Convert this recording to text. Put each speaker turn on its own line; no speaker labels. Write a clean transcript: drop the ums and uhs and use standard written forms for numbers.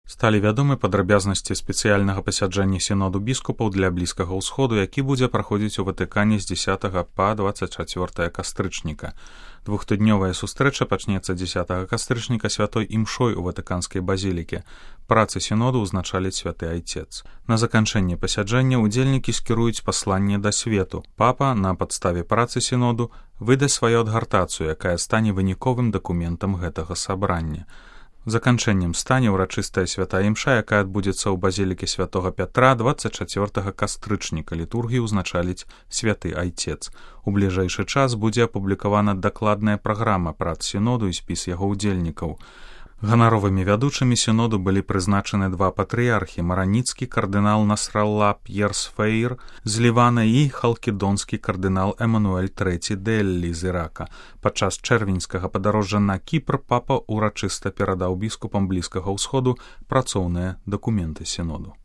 Сталі вядомы падрабязнасці спецыяльнага пасяджэння сіноду біскупаў для Блізкага ўсходу, які будзе праходзіць у Ватыкане з 10 па 24 кастрычніка. Двухтыднёвая сустрэча пачнецца 10 кастрычніка святой імшой у Ватыканскай базілікі. Працы сіноду ўзначаліць святы айцец. На заканчэнне пасяджэння удзельнікі скіруюць пасланне да свету. Папа на падставе працы сіноду выдасць сваю адгартацыю, якая стане выніковым дакументам гэтага сабрання. Заканчэннем стане ўрачыстая святая імша, якая адбудзецца ў базілікі святога Пятра 24 кастрычніка. Літургію ўзначаліць святы айцец. У бліжэйшы час будзе апублікавана дакладная праграма прац сіноду і спіс яго ўдзельнікаў. Ганаровымі вядучымі сіноду былі прызначаны два патрыярхі: мараніцкі кардынал Насралла П'ер Сфейр з Лівана і халкідонскі кардынал Эмануэль III Дэллі з Ірака. Падчас чэрвеньскага падарожжа на Кіпр папа ўрачыста перадаў біскупам Блізкага ўсходу працоўныя дакументы сіноду.